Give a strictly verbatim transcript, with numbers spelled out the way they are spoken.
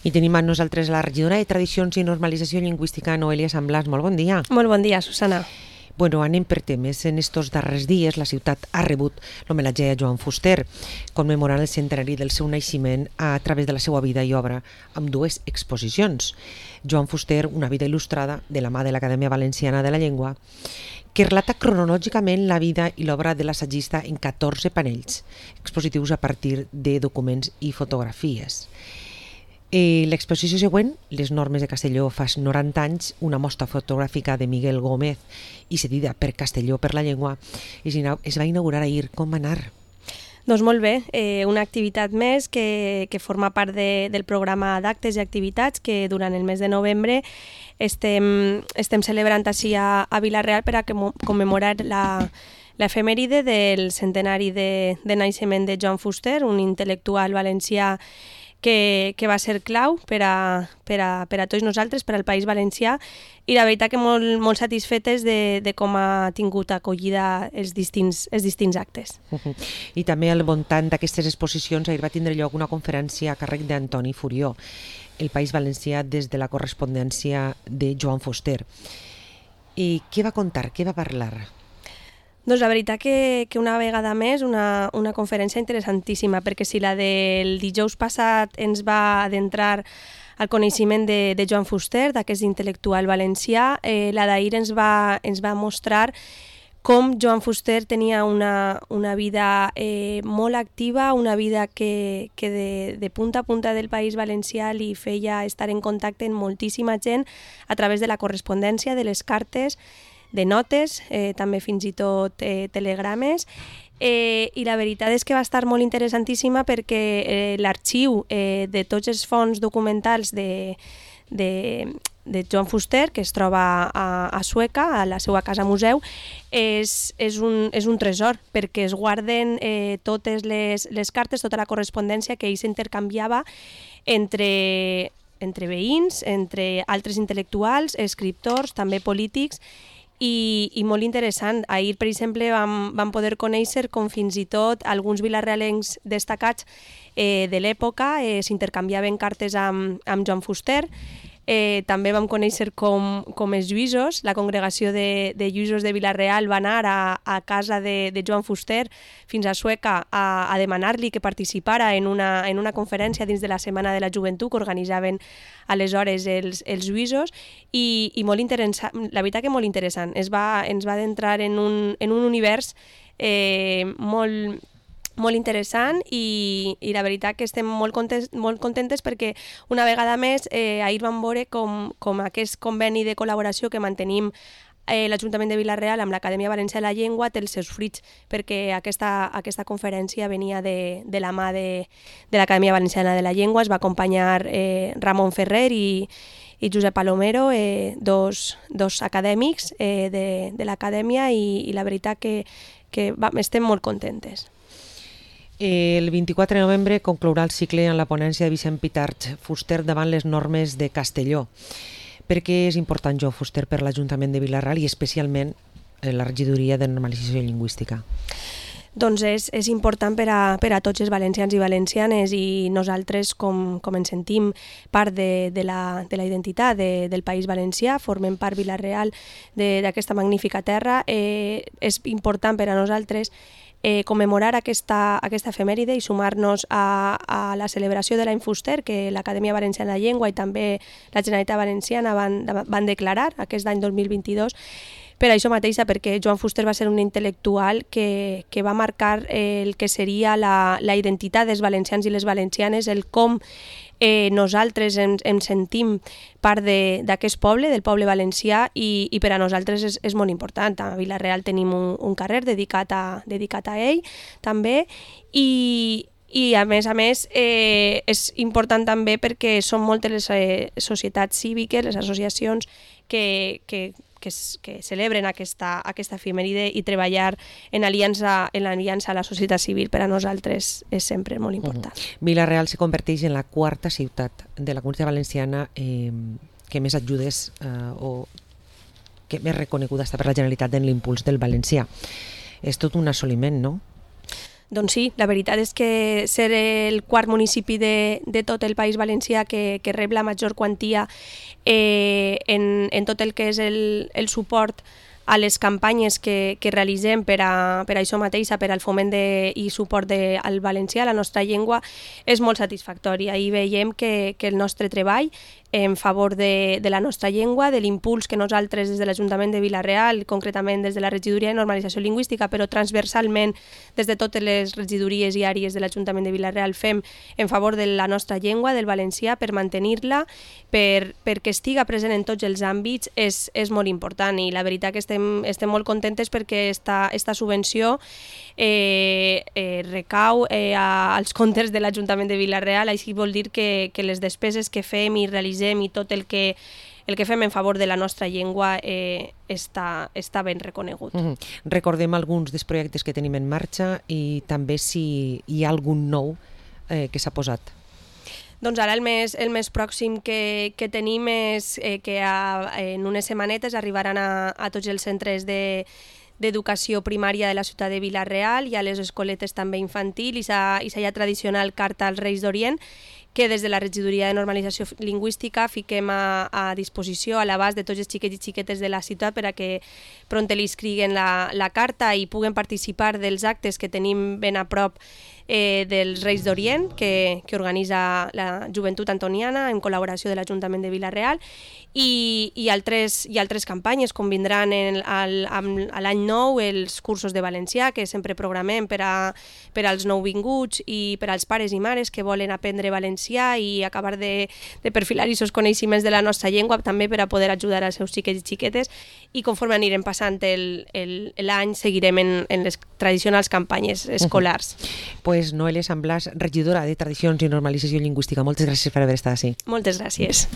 I tenim amb nosaltres la regidora de Tradicions i Normalització Lingüística, Noelia San Blas. Molt bon dia. Molt bon dia, Susana. Bueno, anem per temes. En estos darrers dies la ciutat ha rebut l'homenatge a Joan Fuster, commemorant el centenari del seu naixement a través de la seva vida i obra, amb dues exposicions. Joan Fuster, una vida il·lustrada de la mà de l'Acadèmia Valenciana de la Llengua, que relata cronològicament la vida i l'obra de l'assagista en catorze panells, expositius a partir de documents i fotografies. Eh, L'exposició següent, Les normes de Castelló fa noranta anys, una mostra fotogràfica de Miguel Gómez i cedida per Castelló per la Llengua, es va inaugurar ahir. Com va anar? Doncs molt bé, eh, una activitat més que, que forma part de, del programa d'actes i activitats que durant el mes de novembre estem, estem celebrant així a, a Vila-real per a que, commemorar la l'efemèride del centenari de, de naixement de Joan Fuster, un intel·lectual valencià que, que va ser clau per a, per, a, per a tots nosaltres, per al País Valencià, i la veritat que molt, molt satisfetes de, de com ha tingut acollida els distints, els distints actes. Uh-huh. I també al voltant d'aquestes exposicions ahir va tindre lloc una conferència a càrrec d'Antoni Furió, El País Valencià des de la correspondència de Joan Fuster. I què va contar, què va parlar? Doncs la veritat que, que una vegada més una, una conferència interessantíssima, perquè si la del dijous passat ens va adentrar al coneixement de, de Joan Fuster, d'aquest intel·lectual valencià, eh, la d'ahir ens va, ens va mostrar com Joan Fuster tenia una, una vida eh, molt activa, una vida que, que de, de punta a punta del País Valencià li feia estar en contacte amb moltíssima gent a través de la correspondència, de les cartes, de notes, eh, també fins i tot eh, telegrames, eh, i la veritat és que va estar molt interessantíssima perquè eh, l'arxiu eh, de tots els fons documentals de, de, de Joan Fuster, que es troba a, a Sueca, a la seva casa museu, és, és, un, és un tresor, perquè es guarden eh, totes les, les cartes, tota la correspondència que ell s'intercanviava entre, entre veïns, entre altres intel·lectuals, escriptors, també polítics, I, i molt interessant. Ahir, per exemple, vam, vam poder conèixer com fins i tot alguns vilarealencs destacats eh, de l'època eh, s'intercanviaven cartes amb, amb Joan Fuster. Eh, també vam conèixer com, com els lluïsos, la congregació de, de lluïsos de Vila-real va anar a, a casa de, de Joan Fuster fins a Sueca a, a demanar-li que participara en una, en una conferència dins de la Setmana de la Joventut que organitzaven aleshores els, els lluïsos i, i molt interessant, la veritat que molt interessant. Es va, ens va adentrar en un, en un univers eh, molt molt interessant i, i la veritat que estem molt contents, molt contentes perquè una vegada més eh, ahir vam veure com, com aquest conveni de col·laboració que mantenim eh, l'Ajuntament de Vila-real amb l'Acadèmia Valenciana de la Llengua té els seus fruits, perquè aquesta, aquesta conferència venia de, de la mà de, de l'Acadèmia Valenciana de la Llengua, es va acompanyar eh, Ramon Ferrer i, i Josep Palomero, eh, dos, dos acadèmics eh, de, de l'Acadèmia i, i la veritat que, que va, estem molt contentes. El vint-i-quatre de novembre conclourà el cicle en la ponència de Vicent Pitarch Fuster davant les normes de Castelló. Per què és important Joan Fuster per l'Ajuntament de Vila-real i especialment la regidoria de normalització lingüística? Doncs és, és important per a, per a tots els valencians i valencianes i nosaltres, com, com ens sentim part de, de, la, de la identitat de, del País Valencià, formem part Vila-real d'aquesta magnífica terra, eh, és important per a nosaltres Eh, commemorar aquesta, aquesta efemèride i sumar-nos a, a la celebració de l'any Fuster que l'Acadèmia Valenciana de la Llengua i també la Generalitat Valenciana van, van declarar aquest any dos mil vint-i-dos. Per això mateixa, perquè Joan Fuster va ser un intel·lectual que, que va marcar el que seria la, la identitat dels valencians i les valencianes, el com eh, nosaltres ens, ens sentim part d'aquest poble, del poble valencià, i, i per a nosaltres és, és molt important. A Vila-real tenim un, un carrer dedicat a, dedicat a ell, també, i, i a més a més eh, és important també perquè són moltes les eh, societats cíviques, les associacions que, que que, que celebren aquesta, aquesta efemèride i treballar en aliança, en aliança a la societat civil per a nosaltres és sempre molt important. Uh-huh. Vila-real se converteix en la quarta ciutat de la Comunitat Valenciana eh, que més ajudes eh, o que més reconeguda està per la Generalitat en l'impuls del valencià. És tot un assoliment, no? Doncs sí, la veritat és que ser el quart municipi de, de tot el País Valencià que, que rep la major quantia eh, en, en tot el que és el, el suport a les campanyes que, que realitzem per a, per a això mateix, per al foment de, i suport de, al valencià, la nostra llengua, és molt satisfactori. Ahir veiem que, que el nostre treball en favor de, de la nostra llengua, de l'impuls que nosaltres des de l'Ajuntament de Vila-real, concretament des de la Regidoria de Normalització Lingüística, però transversalment des de totes les regidories i àrees de l'Ajuntament de Vila-real fem en favor de la nostra llengua, del valencià, per mantenir-la, per, perquè estiga present en tots els àmbits, és, és molt important i la veritat que estem, estem molt contentes perquè esta, esta subvenció eh, eh, recau eh, als comptes de l'Ajuntament de Vila-real, així vol dir que, que les despeses que fem i realitzem i tot el que, el que fem en favor de la nostra llengua eh, està, està ben reconegut. Mm-hmm. Recordem alguns dels projectes que tenim en marxa i també si hi ha algun nou eh, que s'ha posat. Doncs ara el més, el més pròxim que, que tenim és eh, que a, en unes setmanetes arribaran a, a tots els centres de d'educació primària de la ciutat de Vila-real i a les escoletes també infantil i sa, i sa ja tradicional carta als Reis d'Orient, que des de la Regidoria de Normalització Lingüística fiquem a, a disposició, a l'abast de tots els xiquets i xiquetes de la ciutat per a que pront li escriguen la, la carta i puguen participar dels actes que tenim ben a prop eh, dels Reis d'Orient, que, que organitza la Joventut Antoniana en col·laboració de l'Ajuntament de Vila-real, i, i, altres, i altres campanyes, com vindran en, al, a l'any nou els cursos de valencià, que sempre programem per, a, per als nouvinguts i per als pares i mares que volen aprendre valencià i acabar de, de perfilar aquests coneixements de la nostra llengua, també per a poder ajudar als seus xiquets i xiquetes, i conforme anirem passant l'any seguirem en, en les tradicionals campanyes escolars. Uh-huh. Pues Noelia San Blas, regidora de Tradicions i Normalització Lingüística, moltes gràcies per haver estat així. Moltes gràcies.